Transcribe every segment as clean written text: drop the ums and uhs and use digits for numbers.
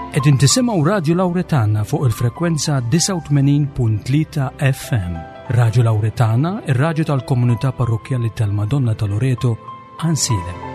Qegħdin tisimgħu Radju Lawretana fuq il-frekwenza 89.3 FM. Radju Lawretana, ir-radju tal-komunità parrokkjali tal-Madonna ta' Loreto, Ansilem.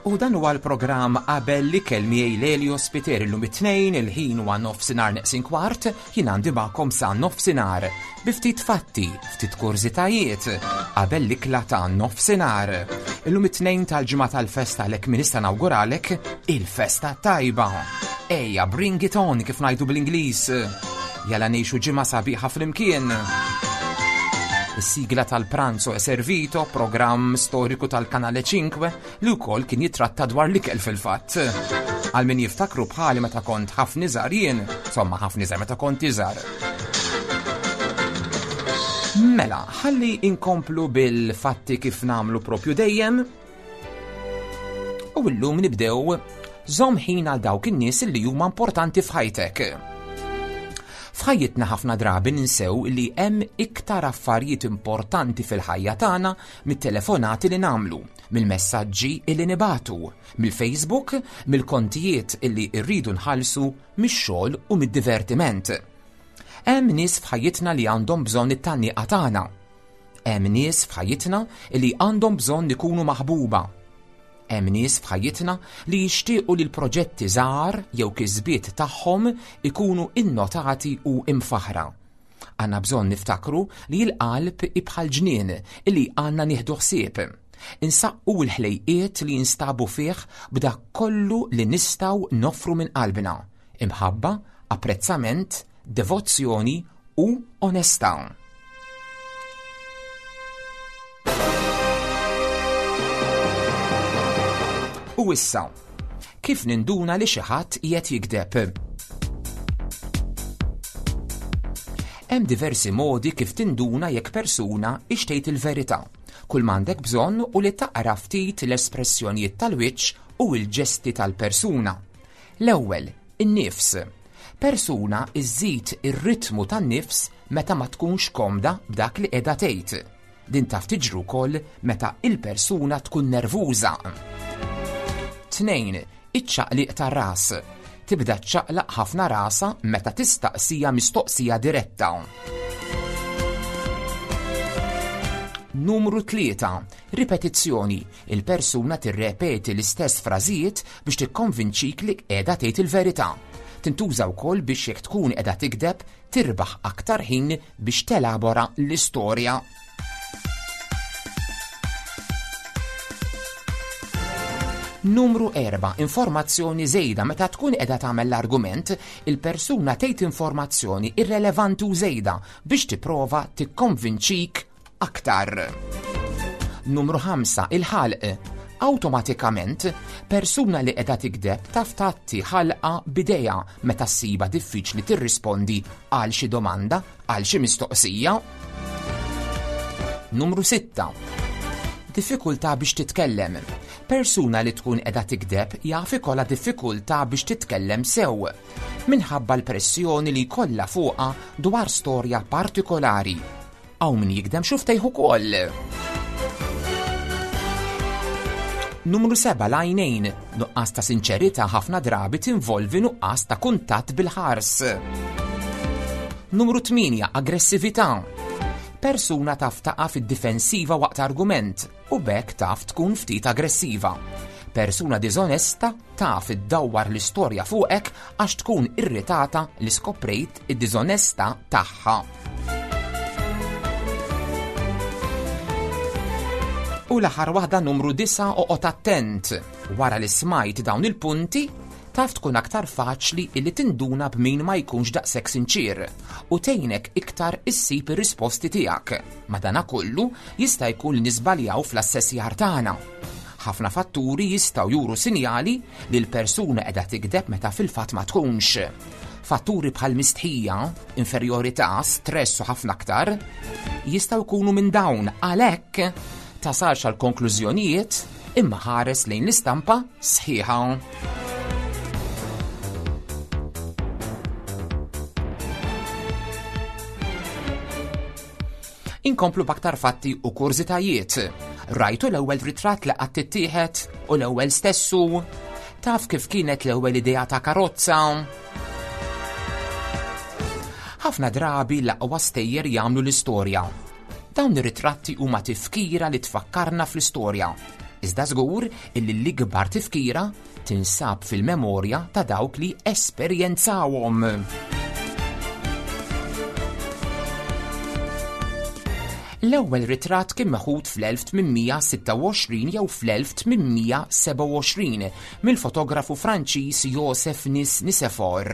U dan huwa l-programm qabel li kelmi Lelio Spiteri llum it-tnejn il-ħin huwa nofsinhar neqsin kwart Jien għandi magħkom sa nofsinhar bi ftit fatti, ftit kurżitajiet qabel l-ikla ta' nofsinhar. Illum it-tnejn tal-ġimgħa tal-festa għalhekk min nista' nawguralek il-festa tajba. Ejja, bring it on kif ngħidu bl-Ingliż. Jalla ngħixu ġimgħa sabiħa flimkien. Is-sigla tal-Pranzo e Servito, programm storiku tal-Kanale 5, li wkoll kien jitratta dwar l-ikel fil-fatt. Għal min jiftakru bħali meta kont ħafna iżgħar jien, insomma ħafna iżgħar meta kont iżgħar. Mela, ħalli inkomplu bil-fatti kif namlu propju dejjem. U llum nibdew żomm ħin għal dawk in-nies li huma importanti f'ħajtek. F'ħajjitna ħafna drabi ninsew li hemm iktar affarijiet importanti fil-ħajja tagħna mit-telefonati li nagħmlu, mill-messaġġi illi nibagħtu, mill-Facebook, mill-kontijiet illi rridu nħallsu, mix-xogħol u mid-divertiment. Hemm nies f'ħajjitna li għandhom bżonn it-tgħanniqa tagħna. Hemm nies f'ħajjitna li għandhom bżonn ikunu maħbuba. Hemm nies f'ħajjitna li jixtiequ li l-proġetti żgħar jew kisbiet tagħhom ikunu innotati u imfaħra. Għandna bżonn niftakru li l-qalb hi bħal ġnien li għandna nieħdu ħsieb. Insaqqu l-ħlejqiet li jinstabu fih b'dak kollu li nistgħu noffru minn qalbna, imħabba, apprezzament, devozzjoni u onestà. U issa, kif ninduna li xi ħadd qiegħed jigdeb? Hemm diversi modi kif tinduna jekk persuna ixtejt il-verità. Kull m'għandek bżonn u li taqra ftit l-espressjonijiet tal-wiċċ u l-ġesti tal-persuna. L-ewwel, in-nifs. Persuna iżżid ir-ritmu tan-nifs meta ma tkunx komda b'dak li qiegħda tgħid. Din taf tiġri wkoll meta il-persuna tkun nervuża. 2. Iċ-ċaqliq tar-ras. Tibda ċċaqlaq ħafna rasha meta tistaqsija mistoqsija diretta. Numru 3. Ripetizzjoni. Il-persuna tirrepeti l-istess frażijiet biex tikkonvinċik li qiegħda tgħid il-verità. Tintuża wkoll biex jekk tkun qiegħda tikdeb tirbaħ aktar ħin biex telabora l-istorja. Numru 4. Informazzjoni żejda meta tkun qiegħda tagħmel l-argument, il-persuna tgħid informazzjoni irrelevanti u żejda biex tipprova tikkonvinċik aktar. Numru 5. Il-ħalq. Awtomatikament, persuna li qiegħda tikdeb taf tgħatti ħalqa b'idejha meta ssibha diffiċli tirrispondi għal xi domanda, għal xi mistoqsija. Numru 6. Diffikultà biex titkellem. Persuna li tkun qiegħda tikdeb jaf ikollha diffikultà biex titkellem sew minħabba l-pressjoni li jkollha fuqha dwar storja partikolari. Hawn min jigdem xuftejh ukoll. Numru 7 l-għajnejn. Nuqqas ta' sinċerità ħafna drabi tinvolvi nuqqas ta' kuntatt bil-ħars. Numru 8 aggressività. Persuna taf taqa' fid-difensiva waqt argument u b'hekk taf tkun ftit aggressiva. Persuna diżonesta taf iddawwar l-istorja fuqek għax tkun irritata li skoprejt id-diżonestà tagħha. U l-aħħar waħda numru 9 oqgħod attent. Wara li smajt dawn il-punti, taf tkun aktar faċli illi tinduna b'min ma jkunx daqshekk sinċier u tgħinek iktar issib ir-risposti tiegħek. Madanakollu jista' jkun li niżbaljaw fl-assessjar tagħna. Ħafna fatturi jistgħu juru sinjali li l-persuna qiegħda tikdeb meta fil-fatt ma tkunx. Fatturi bħal mistħija, inferjorità, stress u ħafna aktar jistgħu jkunu minn dawn għalhekk tasalx għal konklużjonijiet imma ħares lejn l-istampa sħiħa. Inkomplu b'aktar fatti u kurżitajiet. Rajtu l-ewwel ritratt li qatt tittieħed u l-ewwel stessu? Taf kif kienet l-ewwel idea ta' karozza? Ħafna drabi l-aqwa stejjer jagħmlu l-istorja. Dawn ir-ritratti huma tifkira li tfakkarna fl-istorja. Iżda żgur illi l-ikbar tifkira tinsab fil-memorja ta' dawk li esperjenzawhom. L-ewwel ritratt kien meħud fl-1826 jew fl-1827 mill-fotografu Franċiż Joseph Nis Nisefor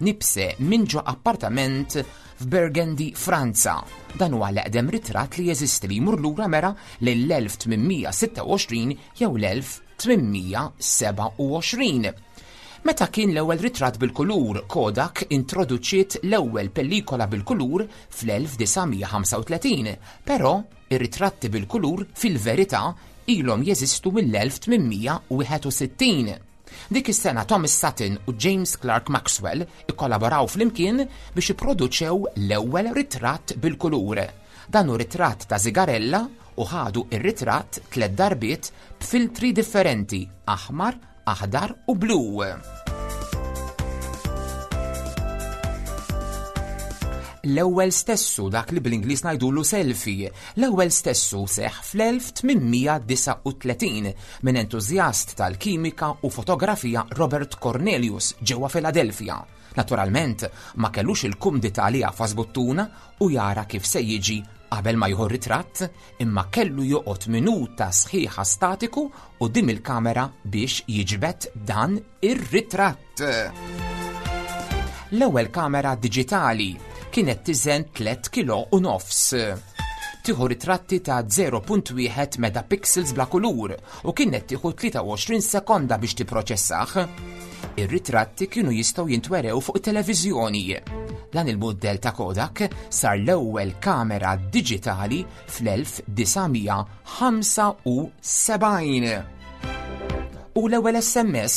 Nipse minn ġo appartament f'Burgundy, Franza. Dan huwa l-eqdem ritratt li jeżisti li jmur lura mera lill-1826 jew l-1827. 827. Meta kien l-ewwel ritratt bil-kulur, Kodak introduċiet l-ewwel pellikola bil-kulur fl-1935, però ir-ritratti bil-kulur fil-verità ilhom jeżistu mill-1861. Dik is-sena Thomas Sutton u James Clerk Maxwell ikkollaboraw flimkien biex ipproduċew l-ewwel ritratt bil-kulur. Dan hu ritratt ta' żigarella u ħadu r-ritratt tlett darbiet b'filtri differenti, aħmar, aħdar u blu. L-ewwel stessu dak li bl-Ingliż ngħidulu selfie, l-ewwel stessu seħħ fl-1839 minn entużjast tal-kimika u fotografija Robert Cornelius ġewwa Philadelphia. Naturalment, ma kellux il-kumdità li jagħfas buttuna u jara kif se jiġi qabel ma jieħu ritratt, imma kellu joqgħod minuta sħiħa statiku quddiem il-kamera biex jiġbed dan ir-ritratt. L-ewwel kamera diġitali kienet tiżen 3 kilo u nofs. Tieħu ritratti ta' 0.1 megapixels bla kulur u kienet tieħu 23 sekonda biex tipproċessah. Ir-ritratti kienu jistgħu jintwerew fuq it-televiżjoni. Dan il-mudell ta' Kodak sar l-ewwel kamera diġitali fl-1975. U l-ewwel SMS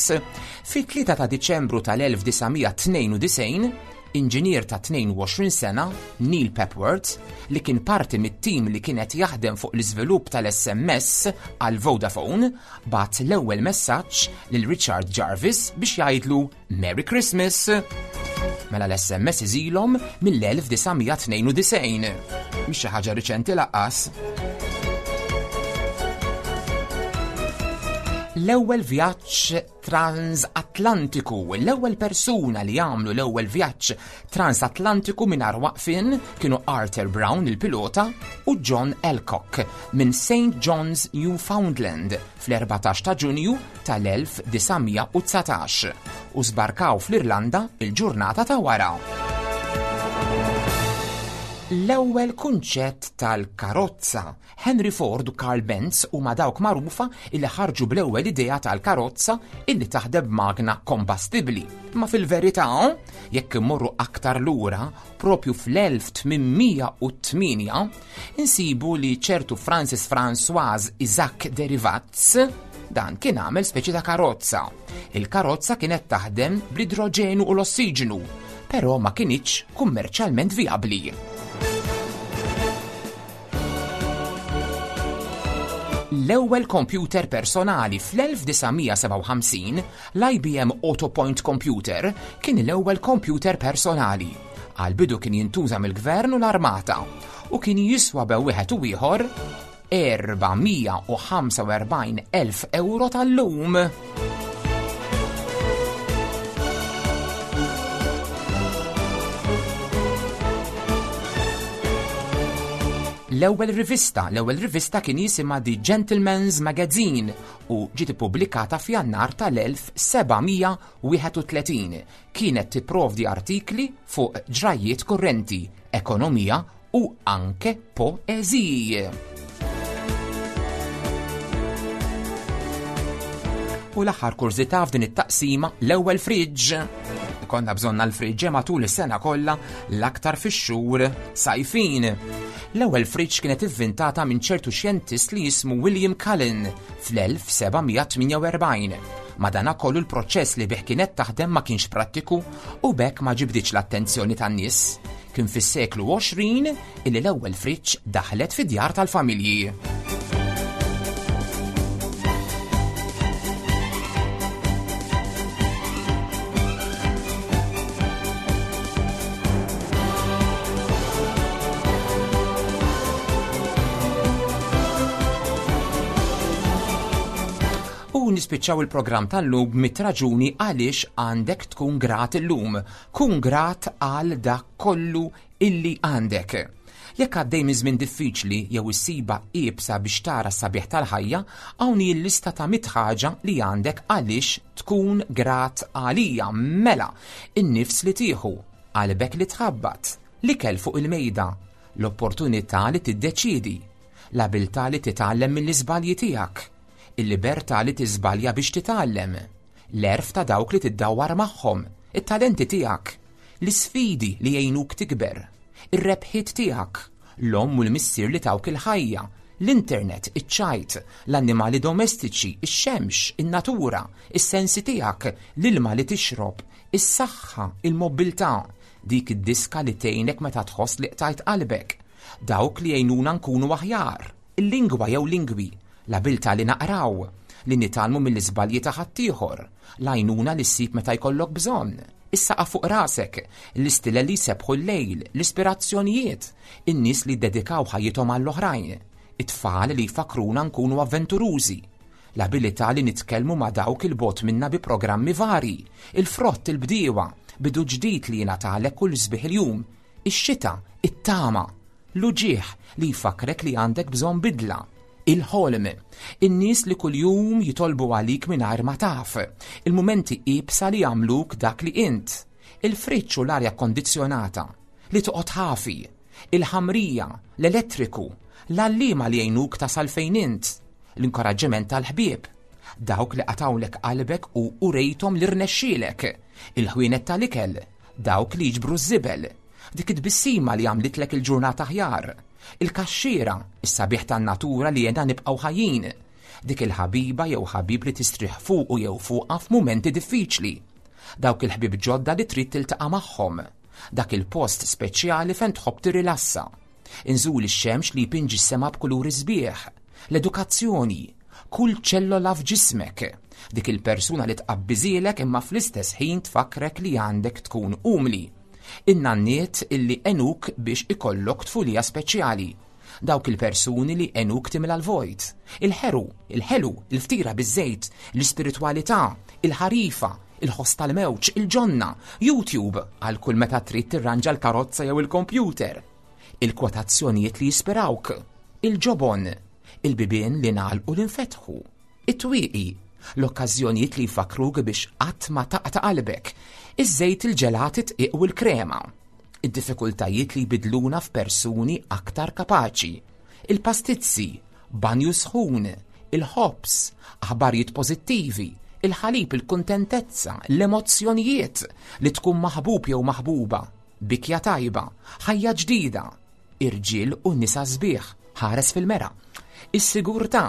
fit-3 ta' Diċembru tal-1992 Inġinier ta' 22 sena, Neil Papworth, li kien parti mit-tim li kien qed jaħdem fuq l-iżvilupp tal-SMS għal Vodafone, bagħat l-ewwel messaġġ lil Richard Jarvis biex jgħidlu Merry Christmas. Mela l-SMS iżilhom mill-1992. Mhix xi ħaġa riċenti laqqas. L-ewwel vjaġġ transatlantiku. L-ewwel persuna li għamlu l-ewwel vjaġġ transatlantiku mingħajr waqfien kienu Arthur Brown il-pilota u John Alcock minn St. John's, Newfoundland fl-14 ta' Ġunju tal-1919 u sbarkaw fl-Irlanda il-ġurnata ta' wara. L-ewwel kunċett tal-karozza Henry Ford u Carl Benz huma dawk magħrufa illi ħarġu bl-ewwel idea tal-karozza illi taħdem b'magna kombastibbli. Ma fil-verità, jekk immorru aktar lura, propju fl-1808, insibu li ċertu Francis François Isaac Derivaz dan kien għamel speċi ta' karozza. Il-karozza kienet taħdem bl-idroġenu u l-ossiġenu, però ma kinitx kummerċjalment vijabbli. L-ewwel kompjuter personali fl-1957, l-IBM Autopoint Computer, kien l-ewwel kompjuter personali. Għall-bidu kien jintuża mill-gvern u l-armata u kien jiswa bew wieħed u ieħor 445,000 euro tal-lum. L-ewwel rivista, l-ewwel rivista kien jisimha The Gentleman's Magazine u ġiet ippubblikata f'Jannar tal-1731. Kienet tipprovdi artikli fuq ġrajjiet kurrenti, ekonomija u anke poeżiji. U l-aħħar kurżità f'din it-taqsima l-ewwel friġġ. Ikollna bżonn għall-friġġe matul is-sena kollha l-aktar fix-xhur sajfin. L-ewwel friġġ kienet ivvintata minn ċertu xjentist li jismu William Cullen fl-1748. Madanakollu l-proċess li bih kienet taħdem ma kienx prattiku u b'hekk ma ġibditx l-attenzjoni tan-nies. Kien fis-seklu 20 illi l-ewwel friġġ daħlet fid-djar tal-familji. U nispiċċaw il-programm tal-lum mit raġuni għaliex għandek tkun grat illum. Kun grat għal dak kollu illi għandek. Jekk għaddej minn żmien diffiċli jew issibha iebsa biex tara s-sabiħ tal-ħajja, hawn hi l-lista ta' mitt ħaġa li għandek għaliex tkun grat għalija. Mela, in-nifs li tieħu, qalbek li tħabbat, l-ikel fuq il-mejda, l-opportunità li tiddeċiedi, l-abiltà li titgħallem mill-iżbalji tiegħek, il-libertà li tiżbalja biex titgħallem, l-għerf ta' dawk li tiddawwar magħhom, it-talenti tiegħek, l-isfidi li jgħinuk tikber, ir-rebħiet tiegħek, l-omm u l-missier li tawk il-ħajja, l-internet, iċ-ċajt, l-annimali domestiċi, ix-xemx, in-natura, is-sensi tiegħek, l-ilma li tixrob, is-saħħa, il-mobbiltà, dik id-diska li tgħinek meta tħoss li qtajt qalbek, dawk li jgħinuna nkunu aħjar, il-lingwa jew lingwi, l-abiltà li naqraw, li nitgħallmu mill-iżbalji ta' ħaddieħor, l-għajnuna li ssib meta jkollok bżonn, is-saqaf fuq rasek, l-istilel li jsebbħu l-lejl, l-ispirazzjonijiet, in-nies li ddedikaw ħajjithom għall-oħrajn, it-tfal li jfakkruna nkunu avventurużi, l-abilità li nitkellmu ma' dawk 'il bogħod minna bi programmi varji, il-frott, il-bdiewa, bidu ġdid li jingħatalek kull sbieħ il-jum, ix-xita, it-tama, l-uġigħ li jfakkrek li għandek bżonn bidla, il-ħolm, in-nies li kuljum jitolbu għalik mingħajr ma taf, il-mumenti iebsa li jagħmluk dak li int, il-friġġ u l-arja kkondizzjonata, li toqgħod ħafi, il-ħamrija, l-elettriku, l-għalliema li jgħinuk tasal fejn int, l-inkoraġġiment tal-ħbieb, dawk li qatgħulek qalbek u urejthom li rnexxielek, il-ħwienet tal-ikel, dawk li jiġbru ż-żibel, dik it-tbissima li għamlitlek il-ġurnata aħjar, il-kaxxiera, is-sabiħ tan-natura li għenna nibqgħu ħajjin, dik il-ħabiba jew ħabib li tistrieħ fuqu jew fuqha f'mumenti diffiċli, dawk il-ħbieb ġodda li trid tiltaqa' magħhom, dak il-post speċjali fejn tħobb tirrilassa, inżul ix-xemx li jpinġi s-sema b'kuluri sbieħ, l-edukazzjoni, kull ċellola f'ġismek, dik il-persuna li tqabbiżielek imma fl-istess ħin tfakkrek li għandek tkun umli. In-nanniet illi għenuk biex ikollok tfulija speċjali. Dawk il-persuni li għenuk timla l-vojt. Il-ħeru, il-ħelu, il-ftira biż-żejt, l-ispiritwalità, il-ħarifa, il-ħoss tal-mewġ, il-ġonna, YouTube għal kull meta trid tirranġa l-karozza jew il-kompjuter. Il-kwotazzjonijiet li jispirawk, il-ġobon, il-bibien li ngħalqu li nfetħu, it-twieqi, l-okkażjonijiet li jfakkruk biex qatt ma taqta' qalbek, iż-żejt il-ġelat it-tqiq u l-krema, id-diffikultajiet li jbidluna f'persuni aktar kapaċi, il-pastizzi, banju sħun, il-ħobż, aħbarijiet pożittivi, il-ħalib, il-kuntentezza, l-emozzjonijiet, li tkun maħbub jew maħbuba, bikja tajba, ħajja ġdida, irġiel u nisa sbieħ, ħares fil-mera. Is-sigurtà,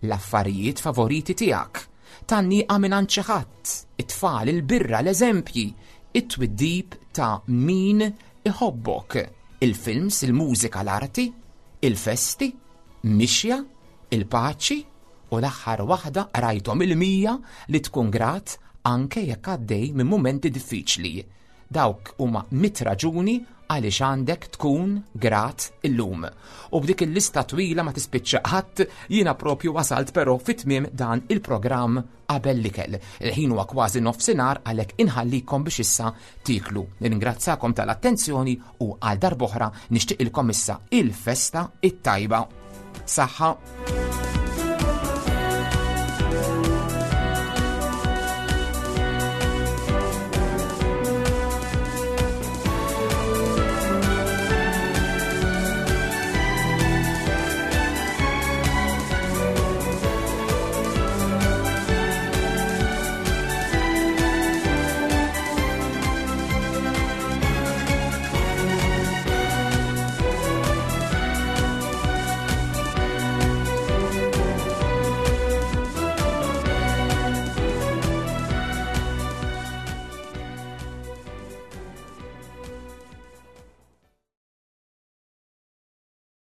l-affarijiet favoriti tiegħek, tgħanniqa mingħand xi ħadd, it-tfal, il-birra, l-eżempji, it-twiddib ta' min iħobbok, il-films, il-mużika, l-arti, il-festi, mixja, il-paċi u l-aħħar waħda qrajthom il-100 li tkun grat anke jekk għaddej minn mumenti diffiċli. Dawk huma mit raġuni għaliex għandek tkun grat illum. U b'dik il-lista twila ma tispiċċa qatt, jiena propju wasalt però fi tmiem dan il-programm qabel l-ikel. Il-ħin huwa kważi nofsinhar għalhekk inħallikom biex issa tieklu. Nirringrazzakom tal-attenzjoni u għal darb'oħra nixtieqilkom issa il-festa it-tajba. Saħħa!